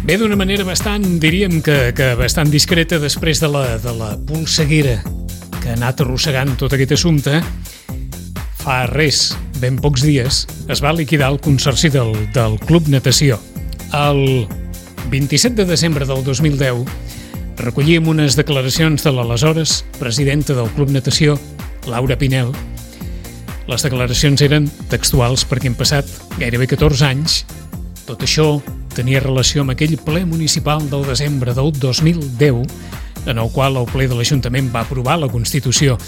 Bé, d'una manera bastant, diríem que bastant discreta, després de la polseguera que ha anat arrossegant tot aquest assumpte, fa res, ben pocs dies, es va liquidar el consorci del Club Natació. El 27 de desembre del 2010 recollíem unes declaracions de l'aleshores presidenta del Club Natació, Laura Pinel. Les declaracions eren textuals perquè han passat gairebé 14 anys. Tot això tenia relació amb aquell ple municipal del desembre del 2010, en el qual el ple de l'Ajuntament va aprovar la constitució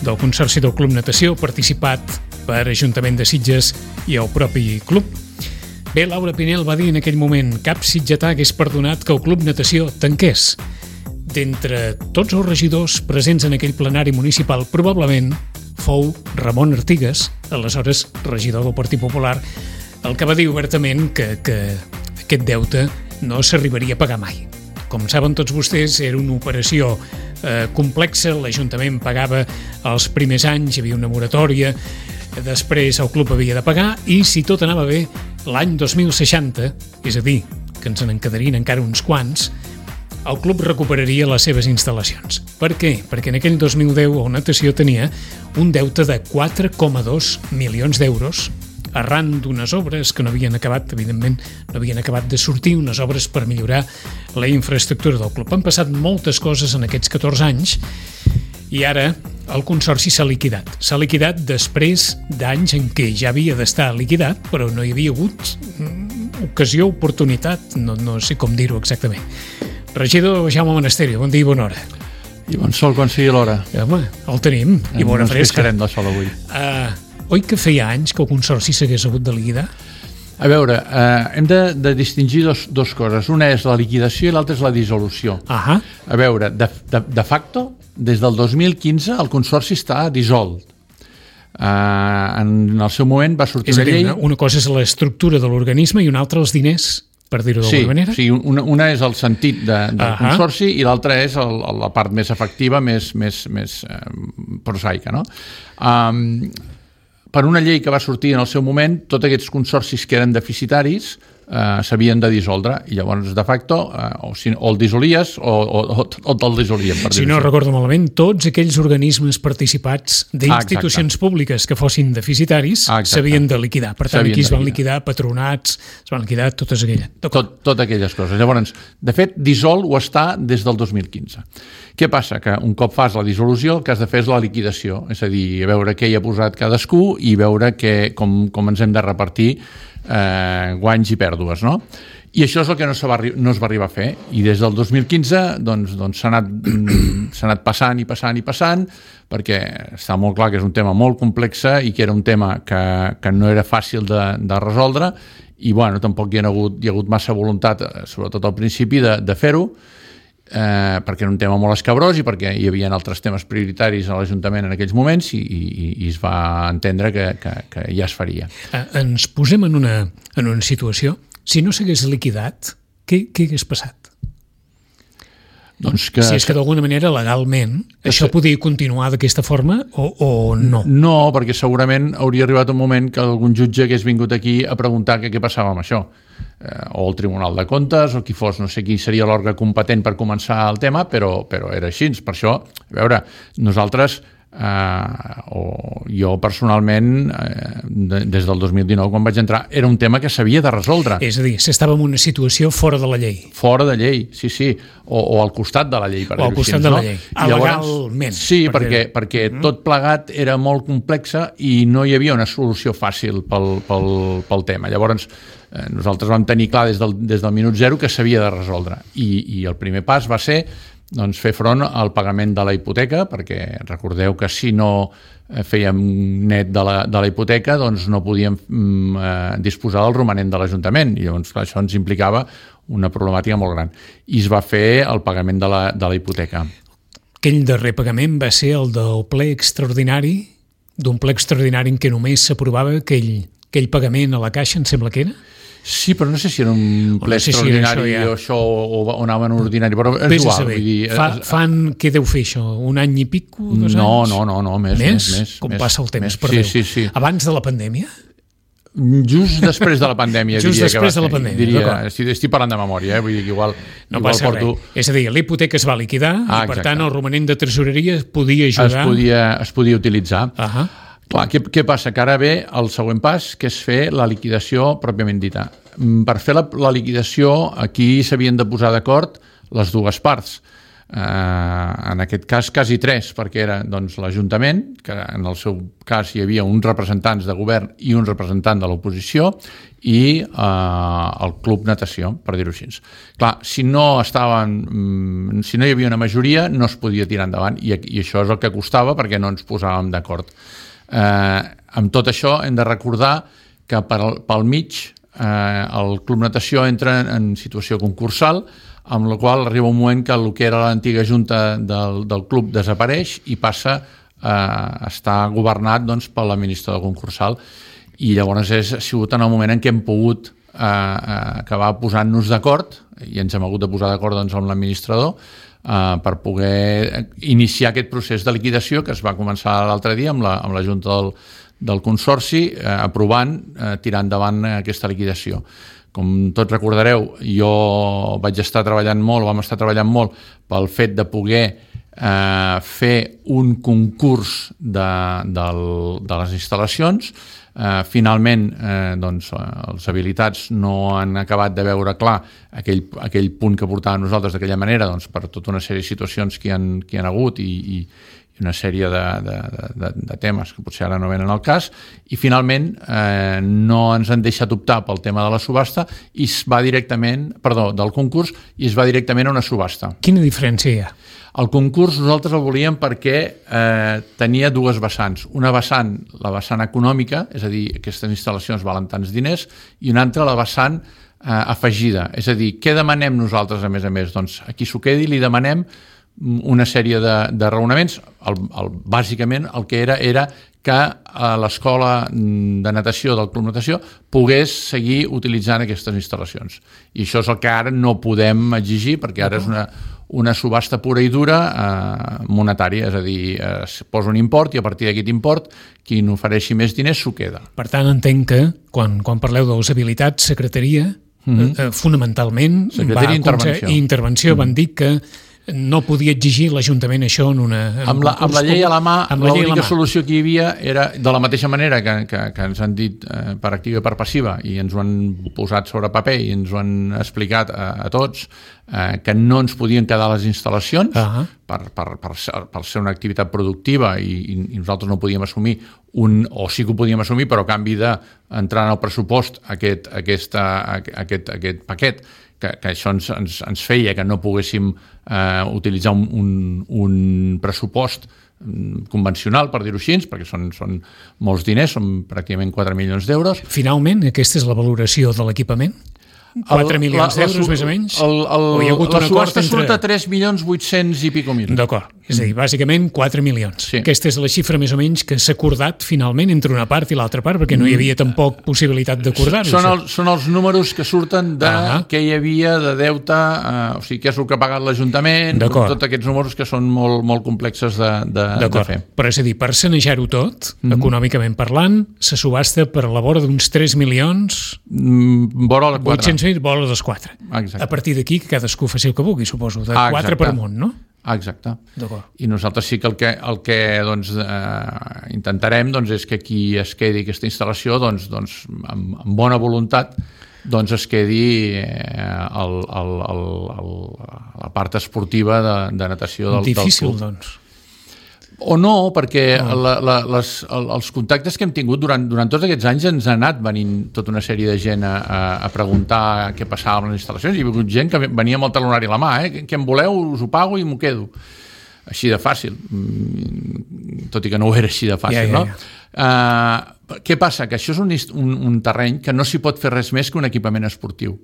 del Consorci del Club Natació, participat per Ajuntament de Sitges i el propi club. Bé, Laura Pinel va dir en aquell moment: cap sitgetà hagués perdonat que el Club Natació tanqués. D'entre tots els regidors presents en aquell plenari municipal, probablement fou Ramon Artigas, aleshores regidor del Partit Popular, el que va dir obertament que aquest deute no s'arribaria a pagar mai. Com saben tots vostès, era una operació complexa. L'Ajuntament pagava els primers anys, hi havia una moratòria, després el club havia de pagar i, si tot anava bé, l'any 2060, és a dir, que ens en quedarien encara uns quants, el club recuperaria les seves instal·lacions. Per què? Perquè en aquell 2010 el Natació tenia un deute de 4,2 milions d'euros arran d'unes obres que no havien acabat, evidentment, no havien acabat de sortir, unes obres per millorar la infraestructura del club. Han passat moltes coses en aquests 14 anys i ara el consorci s'ha liquidat. S'ha liquidat després d'anys en què ja havia d'estar liquidat, però no hi havia hagut ocasió, oportunitat, no sé com dir-ho exactament. Regidor Jaume Monasterio, bon dia i bona hora. I bon sol quan sigui l'hora. Home, el tenim, i bona fresca. No ens queixarem de sol avui. Oi que feia anys que el consorci s'hagués hagut de liquidar? A veure, hem de distingir dos coses. Una és la liquidació i l'altra és la dissolució. A veure, de facto, des del 2015 el consorci està dissolt. En el seu moment va sortir una llei... Una cosa és l'estructura de l'organisme i una altra els diners, per dir-ho d'alguna manera? Sí, una és el sentit del consorci i l'altra és la part més efectiva, més prosaica, no? Per una llei que va sortir en el seu moment, tots aquests consorcis que eren deficitaris s'havien de dissoldre i llavors, de facto, o el dissolies o te'l dissolien. Si no recordo malament, tots aquells organismes participats d'institucions públiques que fossin deficitaris s'havien de liquidar. Per tant, aquí es van liquidar patronats, es van liquidar totes aquelles. Totes aquelles coses. Llavors, de fet, dissolt ho està des del 2015. Què passa? Que un cop fas la dissolució, el que has de fer és la liquidació, és a dir, veure què hi ha posat cadascú i veure com ens hem de repartir guanys i pèrdues, no? I això és el que no es va arribar a fer, i des del 2015 doncs s'ha anat passant i passant, perquè està molt clar que és un tema molt complex i que era un tema que no era fàcil de resoldre, i bueno, tampoc hi ha hagut massa voluntat, sobretot al principi, de fer-ho, perquè era un tema molt escabrós i perquè hi havia altres temes prioritaris a l'Ajuntament en aquells moments i es va entendre que ja es faria. Ens posem en una situació. Si no s'hagués liquidat, què hagués passat? Si és que d'alguna manera legalment això podia continuar d'aquesta forma o no? No, perquè segurament hauria arribat un moment que algun jutge hagués vingut aquí a preguntar què passava amb això, o el Tribunal de Comptes o qui fos, no sé qui seria l'òrgan competent per començar el tema, però era així. Per això, a veure, nosaltres o jo personalment des del 2019 quan vaig entrar era un tema que s'havia de resoldre. És a dir, s'estava en una situació fora de la llei. Fora de llei, sí, o al costat de la llei, per dir-ho així. O al costat de la llei, legalment. Sí, perquè tot plegat era molt complexa i no hi havia una solució fàcil pel tema. Llavors nosaltres vam tenir clar des del minut zero que s'havia de resoldre i el primer pas va ser fer front al pagament de la hipoteca, perquè recordeu que si no fèiem net de la hipoteca doncs no podíem disposar del romanent de l'Ajuntament i llavors això ens implicava una problemàtica molt gran i es va fer el pagament de la hipoteca. Aquell darrer pagament va ser el del ple extraordinari, d'un ple extraordinari en què només s'aprovava aquell pagament a la Caixa, em sembla que era? Sí, però no sé si era un ple extraordinari o això o anava en un ordinari, però és igual. Què deu fer això? Un any i pico? 2 anys? No, més. Com passa el temps, perdó. Sí. Abans de la pandèmia? Just després de la pandèmia, just després de la pandèmia, estic parlant de memòria, vull dir que igual passa porto... res. És a dir, l'hipoteca es va liquidar i, per tant, el romanent de tresoreria podia ajudar... Es podia utilitzar. Clar, què passa? Que ara ve el següent pas, que és fer la liquidació pròpiament dita. Per fer la liquidació, aquí s'havien de posar d'acord les dues parts. En aquest cas quasi tres, perquè era doncs, l'Ajuntament, que en el seu cas hi havia uns representants de govern i un representant de l'oposició, i el Club Natació, per dir-ho així. Clar, si no hi havia una majoria, no es podia tirar endavant, i això és el que costava perquè no ens posàvem d'acord. Amb tot això hem de recordar que pel mig el Club Natació entra en situació concursal, amb la qual arriba un moment que el que era l'antiga junta del club desapareix i passa a estar governat doncs, per l'administrador concursal, i llavors ha sigut en el moment en què hem pogut acabar posant-nos d'acord, i ens hem hagut de posar d'acord doncs, amb l'administrador per poder iniciar aquest procés de liquidació que es va començar l'altre dia amb la junta del Consorci, aprovant tirar endavant aquesta liquidació. Com tots recordareu, jo vam estar treballant molt pel fet de poder fer un concurs de les instal·lacions. Finalment, doncs, els habilitats no han acabat de veure clar aquell punt que portàvem nosaltres d'aquella manera, doncs, per tota una sèrie de situacions que hi han hagut i una sèrie de temes que potser ara no venen al cas, i finalment no ens han deixat optar pel tema de la subhasta i es va directament, del concurs, i es va directament a una subhasta. Quina diferència hi ha? El concurs nosaltres el volíem perquè tenia dues vessants. Una vessant, la vessant econòmica, és a dir, aquestes instal·lacions valen tants diners, i una altra, la vessant afegida. És a dir, què demanem nosaltres, a més? Doncs a qui s'ho quedi li demanem una sèrie de raonaments. Bàsicament el que era que l'escola de natació del Club Natació pogués seguir utilitzant aquestes instal·lacions. I això és el que ara no podem exigir, perquè ara és una subhasta pura i dura monetària, és a dir, es posa un import i a partir d'aquest import qui n'ofereixi més diners s'ho queda. Per tant, entenc que quan parleu de les habilitats, secretaria, fonamentalment intervenció, van dir que no podia exigir l'Ajuntament això en amb la llei a la mà. L'única solució que hi havia era, de la mateixa manera que ens han dit per activa i per passiva, i ens ho han posat sobre paper i ens ho han explicat a tots, que no ens podien quedar les instal·lacions per ser una activitat productiva, i nosaltres no podíem assumir o sí que ho podíem assumir, però a canvi d'entrar en el pressupost aquest paquet, que això ens feia que no poguéssim utilitzar un pressupost convencional, per dir-ho així, perquè són molts diners, són pràcticament 4 milions d'euros. Finalment, aquesta és la valoració de l'equipament? 4 milions d'euros, més o menys? La subhasta surt a 3.800.000 i pico mil. D'acord. És a dir, bàsicament 4 milions. Sí. Aquesta és la xifra més o menys que s'ha acordat finalment entre una part i l'altra part, perquè no hi havia tampoc possibilitat d'acordar-ho. Són els números que surten de què hi havia de deute, o sigui, què és el que ha pagat l'Ajuntament, tots aquests números que són molt, molt complexes de fer. Però és a dir, per sanejar-ho tot, econòmicament parlant, se subhasta per la vora d'uns 3 milions... Vora la 4. Vora dels 4. Exacte. A partir d'aquí que cadascú faci el que vulgui, suposo, de 4 per amunt, no? Exacte. I nosaltres sí que el que intentarem és que qui es quedi aquesta instal·lació amb bona voluntat es quedi la part esportiva de natació del club. Difícil, doncs. O no, perquè els contactes que hem tingut durant tots aquests anys ens ha anat venint tota una sèrie de gent a preguntar què passava amb les instal·lacions. Hi ha hagut gent que venia amb el talonari a la mà, què em voleu, us ho pago i m'ho quedo. Així de fàcil, tot i que no ho era així de fàcil, no? Què passa? Que això és un terreny que no s'hi pot fer res més que un equipament esportiu.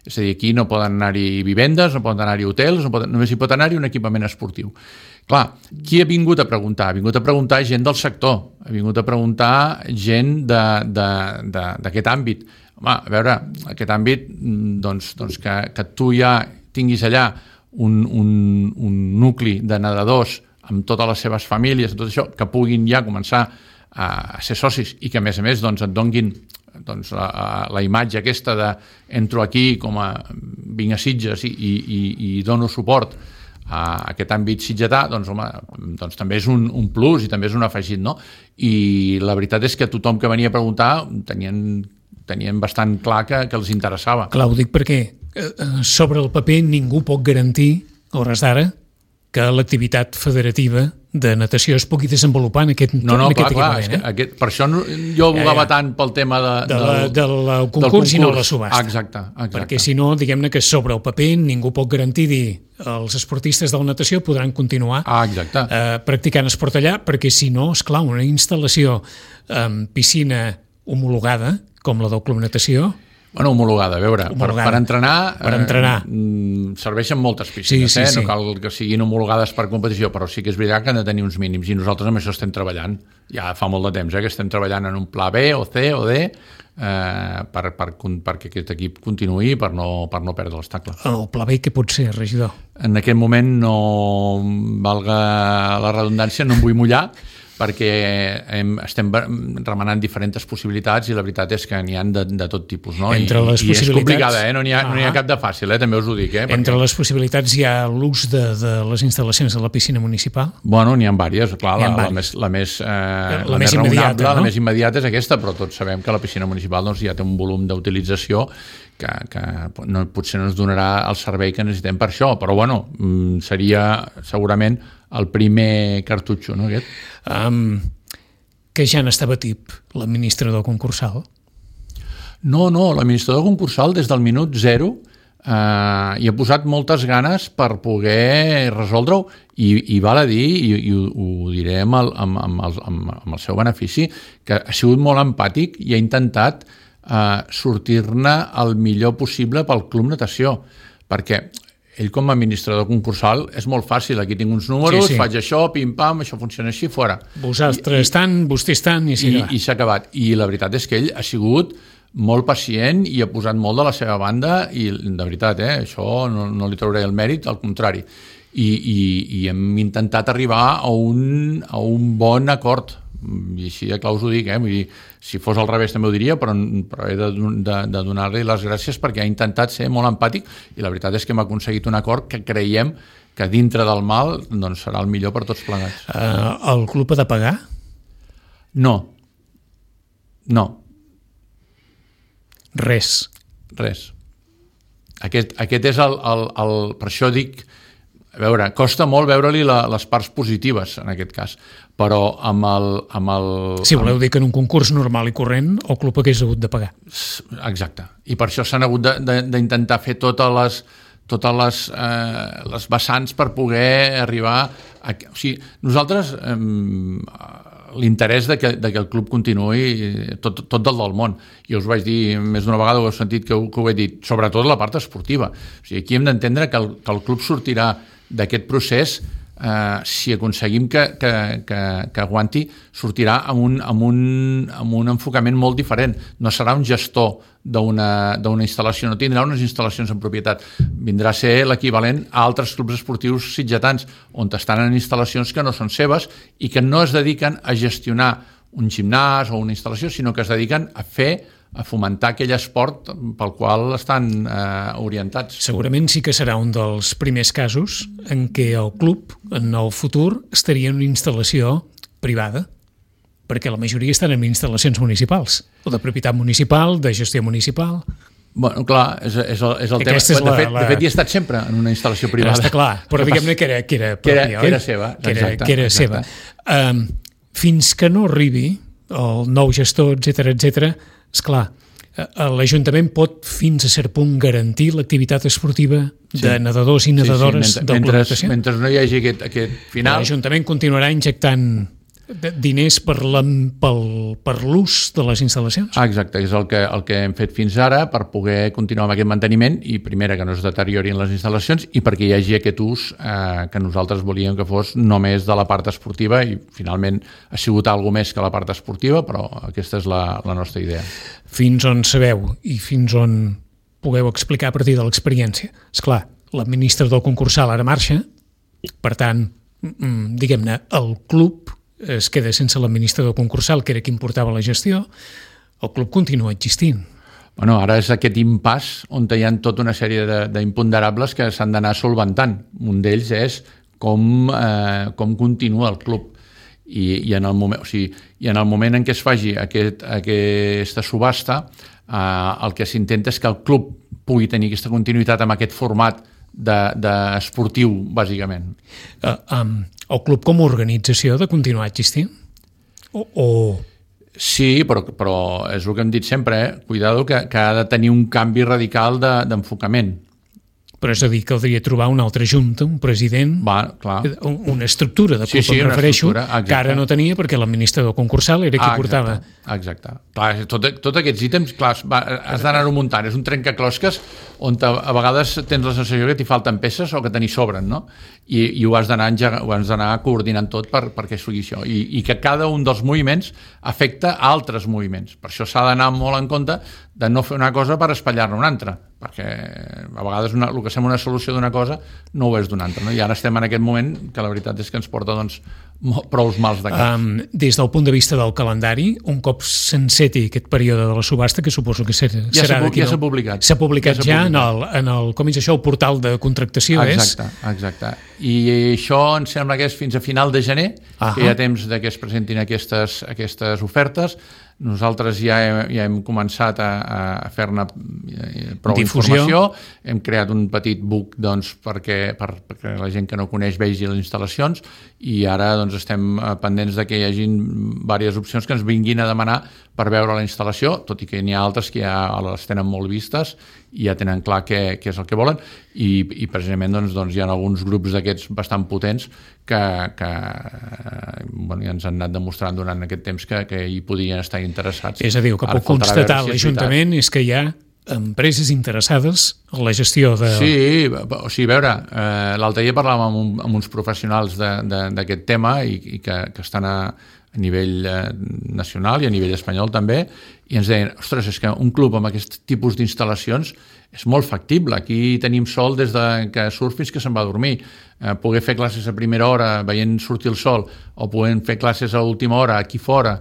És a dir, aquí no poden anar-hi vivendes, no poden anar-hi hotels, només hi pot anar-hi un equipament esportiu. Clar, qui ha vingut a preguntar? Ha vingut a preguntar gent del sector, ha vingut a preguntar gent d'aquest àmbit. Home, a veure, aquest àmbit, que tu ja tinguis allà un nucli de nedadors amb totes les seves famílies, tot això, que puguin ja començar a ser socis i que a més et donguin doncs, la imatge aquesta de entro aquí com a vinc a Sitges i dono suport a aquest àmbit sitgetà, doncs, home, doncs també és un plus i també és un afegit, no? I la veritat és que tothom que venia a preguntar tenien bastant clar que els interessava. Clar, ho dic perquè sobre el paper ningú pot garantir, a hores d'ara, que l'activitat federativa de natació es pugui desenvolupar en aquest equipament. Per això jo bugava tant pel tema del concurs i no la subhasta. Exacte. Perquè si no, diguem-ne que sobre el paper ningú pot garantir dir els esportistes de la natació podran continuar practicant esport allà, perquè si no, esclar, una instal·lació amb piscina homologada, com la del Club Natació... Bueno, homologada, a veure, per entrenar serveixen moltes piscines, sí. No cal que siguin homologades per competició, però sí que és veritat que han de tenir uns mínims i nosaltres amb això estem treballant, ja fa molt de temps que estem treballant en un pla B o C o D perquè aquest equip continuï per no perdre l'estacle. El pla B què pot ser, regidor? En aquest moment no valga la redundància, no em vull mullar, perquè estem remenant diferents possibilitats i la veritat és que n'hi ha de tot tipus, no? I és complicada, no n'hi ha cap de fàcil, també us ho dic. Entre les possibilitats hi ha l'ús de les instal·lacions de la piscina municipal? Bueno, n'hi ha diverses, clar, la més raonable, la més immediata és aquesta, però tots sabem que la piscina municipal ja té un volum d'utilització que potser no ens donarà el servei que necessitem per això, però bueno, seria segurament el primer cartutxo, no, aquest? Que ja n'estava tip l'administrador concursal? No, l'administrador concursal des del minut 0 hi ha posat moltes ganes per poder resoldre-ho i val a dir, i ho diré amb el seu benefici, que ha sigut molt empàtic i ha intentat sortir-ne el millor possible pel Club Natació, perquè ell com a administrador concursal és molt fàcil, aquí tinc uns números, faig això, pim-pam, això funciona així, fora. Vosaltres tant, vostès tant, i s'ha acabat. I la veritat és que ell ha sigut molt pacient i ha posat molt de la seva banda i de veritat, això no li trauré el mèrit, al contrari. I hem intentat arribar a un bon acord, i així de clar us ho dic, vull dir, si fos al revés també ho diria, però he de donar-li les gràcies perquè ha intentat ser molt empàtic i la veritat és que hem aconseguit un acord que creiem que dintre del mal doncs, serà el millor per tots plegats. El club ha de pagar? No. Res. Aquest és per això dic, a veure, costa molt veure-li les parts positives en aquest cas, però amb el... Si voleu dir que en un concurs normal i corrent el club hagués hagut de pagar. Exacte, i per això s'han hagut d'intentar fer totes les vessants per poder arribar a... O sigui, nosaltres l'interès de que el club continuï tot del món, i us vaig dir més d'una vegada, ho heu sentit que ho he dit, sobretot la part esportiva. O sigui, aquí hem d'entendre que el club sortirà d'aquest procés, si aconseguim que aguanti, sortirà amb un enfocament molt diferent. No serà un gestor d'una instal·lació, no tindrà unes instal·lacions en propietat, vindrà a ser l'equivalent a altres clubs esportius sitgetans, on estan en instal·lacions que no són seves i que no es dediquen a gestionar un gimnàs o una instal·lació, sinó que es dediquen a fomentar aquell esport pel qual estan orientats. Segurament sí que serà un dels primers casos en què el club, en el futur, estaria en una instal·lació privada, perquè la majoria estan en instal·lacions municipals, o de propietat municipal, de gestió municipal. Bueno, clar, és el tema. De fet, hi he estat sempre en una instal·lació privada. Està clar, però diguem-ne que era pròpia, que era seva. Que era seva. Fins que no arribi el nou gestor, etc., esclar, l'Ajuntament pot fins a cert punt garantir l'activitat esportiva de nedadors i nedadores del Club Natació? Mentre no hi hagi aquest final... L'Ajuntament continuarà injectant diners per l'ús de les instal·lacions? Exacte, és el que hem fet fins ara per poder continuar amb aquest manteniment i, primera, que no es deteriorin les instal·lacions i perquè hi hagi aquest ús que nosaltres volíem que fos només de la part esportiva i, finalment, ha sigut alguna més que la part esportiva, però aquesta és la nostra idea. Fins on sabeu i fins on pugueu explicar a partir de l'experiència? Esclar, l'administrador concursal ara marxa, per tant, diguem-ne, el club es queda sense l'administrador concursal, que era qui portava la gestió, el club continua existint. Bueno, ara és aquest impàs on hi ha tota una sèrie d'imponderables que s'han d'anar solventant. Un d'ells és com continua el club. I en el moment en què es faci aquesta subhasta, el que s'intenta és que el club pugui tenir aquesta continuïtat amb aquest format d'esportiu, bàsicament. El club com a organització ha de continuar existint? Sí, però és el que hem dit sempre, cuidado, que ha de tenir un canvi radical d'enfocament. Però és a dir, caldria trobar una altra junta, un president, una estructura de club, em refereixo, que ara no tenia perquè l'administrador concursal era qui portava. Exacte. Clar, tots aquests ítems, clar, has d'anar-ho muntant. És un trencaclosques on a vegades tens la sensació que t'hi falten peces o que te n'hi sobren, no? I ho has d'anar coordinant tot perquè sigui això. I que cada un dels moviments afecta a altres moviments. Per això s'ha d'anar molt en compte de no fer una cosa per espatllar-ne una altra, perquè a vegades el que sembla una solució d'una cosa no ho és d'una altra, no? I ara estem en aquest moment que la veritat és que ens porta prous mals de cap. Des del punt de vista del calendari, un cop s'enceti aquest període de la subhasta, que suposo que serà d'aquí... Ja s'ha publicat. S'ha publicat ja en el com és això, el portal de contractació, Exacte. I això em sembla que és fins a final de gener, que hi ha temps que es presentin aquestes ofertes. Nosaltres ja hem començat a fer-ne prou informació, hem creat un petit book perquè la gent que no coneix vegi les instal·lacions i ara estem pendents de que hi hagin diverses opcions que ens vinguin a demanar per veure la instal·lació, tot i que n'hi ha altres que ja les tenen molt vistes i ja tenen clar què és el que volen i precisament hi ha alguns grups d'aquests bastant potents que ja ens han anat demostrant durant aquest temps que hi podrien estar interessats. És a dir, el que puc constatar l'Ajuntament és que hi ha empreses interessades en la gestió de... Sí, a veure, l'altre dia parlàvem amb uns professionals d'aquest tema i que estan a nivell nacional i a nivell espanyol també, i ens deien, ostres, és que un club amb aquest tipus d'instal·lacions és molt factible. Aquí tenim sol des que surt fins que se'n va a dormir. Poder fer classes a primera hora veient sortir el sol o podem fer classes a última hora aquí fora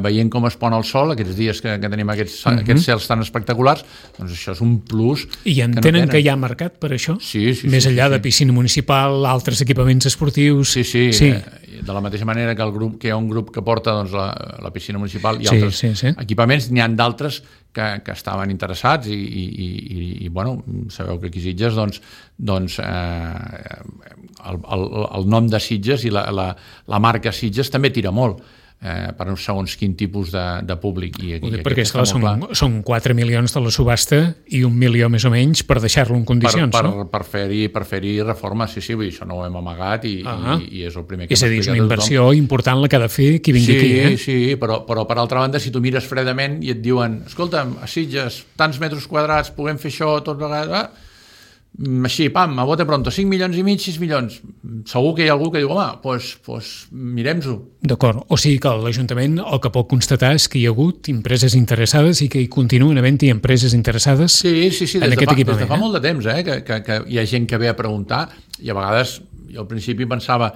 veient com es pon el sol, aquests dies que tenim aquests cels tan espectaculars, doncs això és un plus. I entenen que hi ha mercat per això? Sí. Més enllà de piscina municipal, altres equipaments esportius... Sí. De la mateixa manera que hi ha un grup que porta la piscina municipal i altres equipaments, n'hi ha d'altres que estaven interessats i sabeu que aquí Sitges el nom de Sitges i la marca Sitges també tira molt per uns segons quin tipus de públic. Perquè esclar, són 4 milions de la subhasta i 1 milió més o menys per deixar-lo en condicions, no? Per fer-hi reforma, sí, això no ho hem amagat i és el primer que és a dir, és una inversió important la que ha de fer qui vingui aquí. Sí, però per altra banda, si tu mires fredament i et diuen, escolta'm, a Sitges, tants metres quadrats, puguem fer això tot vegades... Així, pam, a bote pronto, 5 milions i mig, 6 milions. Segur que hi ha algú que diu, home, doncs mirem-ho. D'acord, o sigui que l'Ajuntament el que pot constatar és que hi ha hagut empreses interessades i que hi continuen havent-hi empreses interessades en aquest equipament. Des de fa molt de temps, que hi ha gent que ve a preguntar i a vegades jo al principi pensava,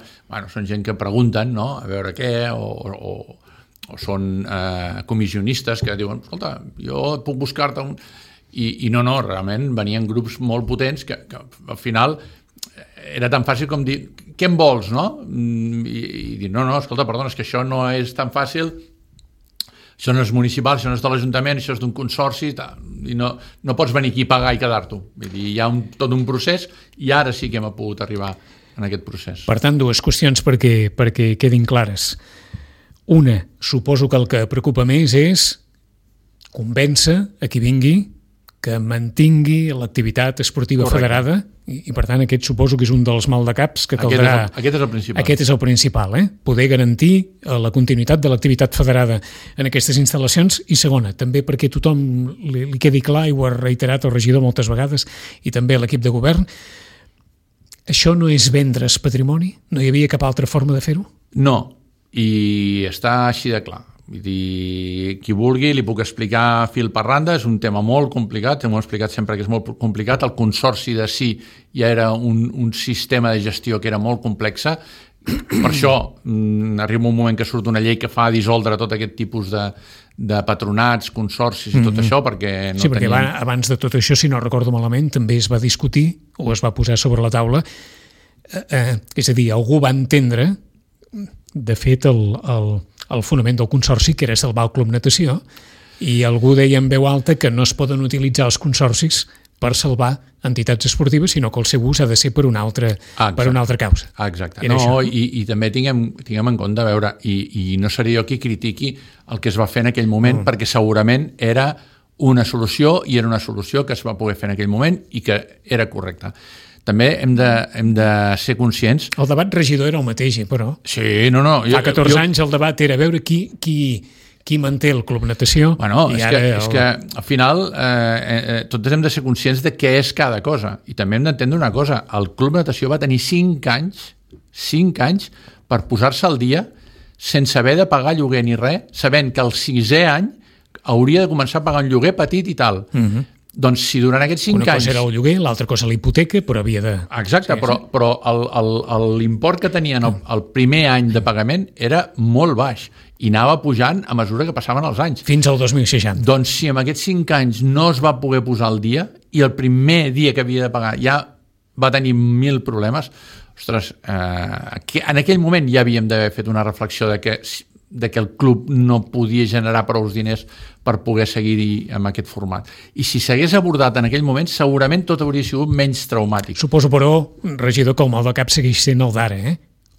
són gent que pregunten, no?, a veure què, o són comissionistes que diuen, escolta, jo puc buscar-te un... I no, realment venien grups molt potents que al final era tan fàcil com dir, què en vols, no? I dir, no, escolta, perdona, és que això no és tan fàcil, això no és municipal, això no és de l'Ajuntament, això és d'un consorci, i no pots venir aquí a pagar i quedar-t'ho. Vull dir, hi ha tot un procés i ara sí que hem pogut arribar en aquest procés. Per tant, dues qüestions perquè quedin clares. Una, suposo que el que preocupa més és convèncer a qui vingui que mantingui l'activitat esportiva federada i per tant aquest suposo que és un dels maldecaps que caldrà... Aquest és el principal. Aquest és el principal, poder garantir la continuïtat de l'activitat federada en aquestes instal·lacions i segona, també perquè tothom li quedi clar i ho ha reiterat el regidor moltes vegades i també l'equip de govern, això no és vendre's patrimoni? No hi havia cap altra forma de fer-ho? No, i està així de clar. Vull dir, qui vulgui li puc explicar fil per randa, és un tema molt complicat, m'ho he explicat sempre que és molt complicat, el consorci de si ja era un sistema de gestió que era molt complexa Per això arriba un moment que surt una llei que fa dissoldre tot aquest tipus de patronats, consorcis i tot això, perquè no perquè abans de tot això, si no recordo malament, també es va discutir o es va posar sobre la taula, és a dir, algú va entendre, de fet, el fonament del consorci, que era salvar el Club Natació, i algú deia en veu alta que no es poden utilitzar els consorcis per salvar entitats esportives, sinó que el seu ús ha de ser per una altra causa. Exacte. No, i també tinguem en compte, a veure, i no seré jo qui critiqui el que es va fer en aquell moment, perquè segurament era una solució, i era una solució que es va poder fer en aquell moment i que era correcta. També hem de ser conscients... El debat regidor era el mateix, però... Sí, no. Fa 14 anys el debat era veure qui manté el Club Natació. Bueno, és que al final tots hem de ser conscients de què és cada cosa, i també hem d'entendre una cosa: el Club Natació va tenir 5 anys per posar-se al dia sense haver de pagar lloguer ni res, sabent que el 6è any hauria de començar a pagar un lloguer petit i tal. Doncs si durant aquests 5 anys... Una cosa era el lloguer, l'altra cosa la hipoteca, però havia de... Exacte, però l'import que tenien el primer any de pagament era molt baix i anava pujant a mesura que passaven els anys. Fins al 2060. Doncs si en aquests 5 anys no es va poder posar al dia i el primer dia que havia de pagar ja va tenir 1.000 problemes, ostres, en aquell moment ja havíem d'haver fet una reflexió de que el club no podia generar prou diners per poder seguir amb aquest format. I si s'hagués abordat en aquell moment, segurament tot hauria sigut menys traumàtic. Suposo, però, regidor, que el mal de cap segueix sent el d'ara,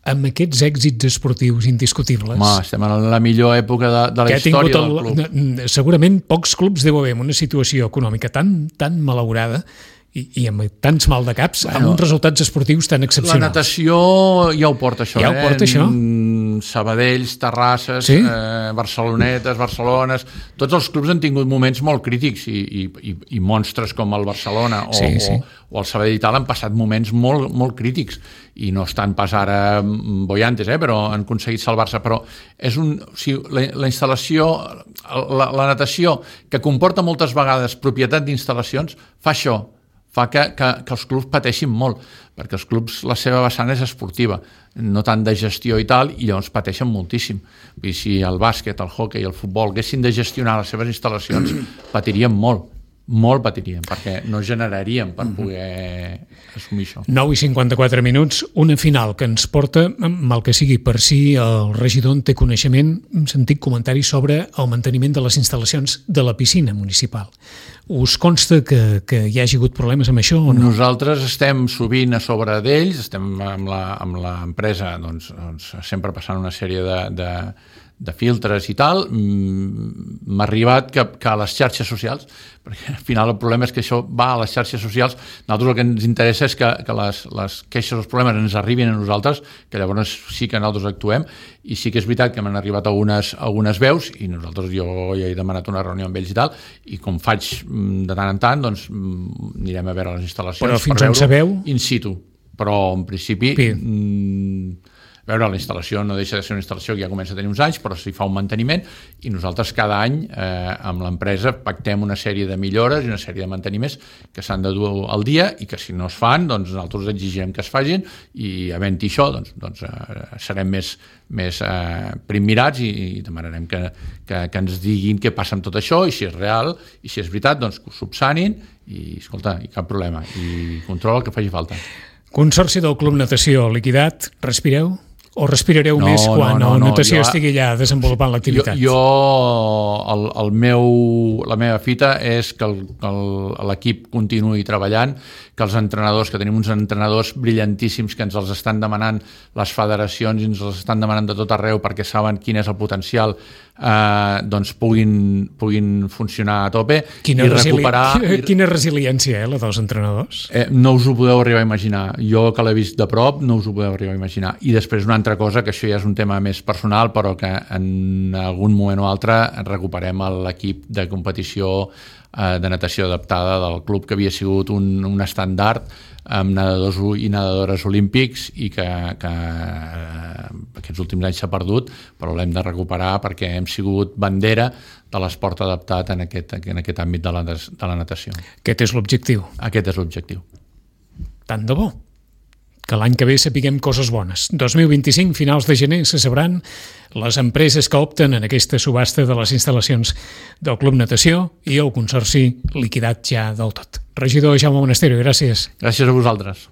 amb aquests èxits esportius indiscutibles. Estem en la millor època de la història del club. Segurament pocs clubs deu haver una situació econòmica tan malaurada i amb tants mal de caps, amb uns resultats esportius tan excepcionals. La natació ja ho porta, això. Ja ho porta, això? Sabadells, Terrasses, Barcelonetes, Barcelones... Tots els clubs han tingut moments molt crítics i monstres com el Barcelona o el Sabadell i tal han passat moments molt, molt crítics i no estan pas ara boiantes, però han aconseguit salvar-se. Però és la instal·lació, la natació, que comporta moltes vegades propietat d'instal·lacions, fa això, fa que els clubs pateixin molt, perquè els clubs, la seva vessant és esportiva, no tant de gestió i tal, i llavors pateixen moltíssim. Vull dir, si el bàsquet, el hoquei i el futbol haguessin de gestionar les seves instal·lacions, patirien molt patirien, perquè no generaríem per poder assumir això. 9:54, una final que ens porta, mal que sigui per si el regidor en té coneixement, un sentit comentari sobre el manteniment de les instal·lacions de la piscina municipal. Us consta que hi hagi hagut problemes amb això o no? Nosaltres estem sovint a sobre d'ells, estem amb l'empresa sempre passant una sèrie de filtres i tal. M'ha arribat que a les xarxes socials, perquè al final el problema és que això va a les xarxes socials, nosaltres el que ens interessa és que les queixes o els problemes ens arribin a nosaltres, que llavors sí que nosaltres actuem, i sí que és veritat que m'han arribat algunes veus, i nosaltres jo ja he demanat una reunió amb ells i tal, i com faig de tant en tant, doncs anirem a veure les instal·lacions. Però fins on sabeu? In situ, però en principi... veure, la instal·lació no deixa de ser una instal·lació que ja comença a tenir uns anys, però s'hi fa un manteniment, i nosaltres cada any amb l'empresa pactem una sèrie de millores i una sèrie de manteniments que s'han de dur al dia, i que si no es fan, doncs nosaltres exigirem que es facin, i havent-hi això, doncs serem més primmirats i demanarem que ens diguin què passa amb tot això, i si és real, i si és veritat, doncs que ho subsanin, i escolta, i cap problema, i controla el que faci falta. Consorci del Club Natació liquidat, respireu? O respirareu més quan la natació estigui allà desenvolupant l'activitat? La meva fita és que l'equip continuï treballant, que els entrenadors, que tenim uns entrenadors brillantíssims que ens els estan demanant les federacions i ens els estan demanant de tot arreu perquè saben quin és el potencial, doncs puguin funcionar a tope i recuperar... Quina resiliència, la dels entrenadors? No us ho podeu arribar a imaginar. Jo, que l'he vist de prop, no us ho podeu arribar a imaginar. I després una altra cosa, que això ja és un tema més personal, però que en algun moment o altre recuperem l'equip de competició de natació adaptada del club, que havia sigut un estàndard amb nedadors i nedadores olímpics i que aquests últims anys s'ha perdut, però l'hem de recuperar perquè hem sigut bandera de l'esport adaptat en aquest àmbit de la natació. Aquest és l'objectiu. Aquest és l'objectiu. Tant de bo que l'any que ve sapiguem coses bones. 2025, finals de gener, se sabran les empreses que opten en aquesta subhasta de les instal·lacions del Club Natació i el Consorci liquidat ja del tot. Regidor Jaume Monasterio, gràcies. Gràcies a vosaltres.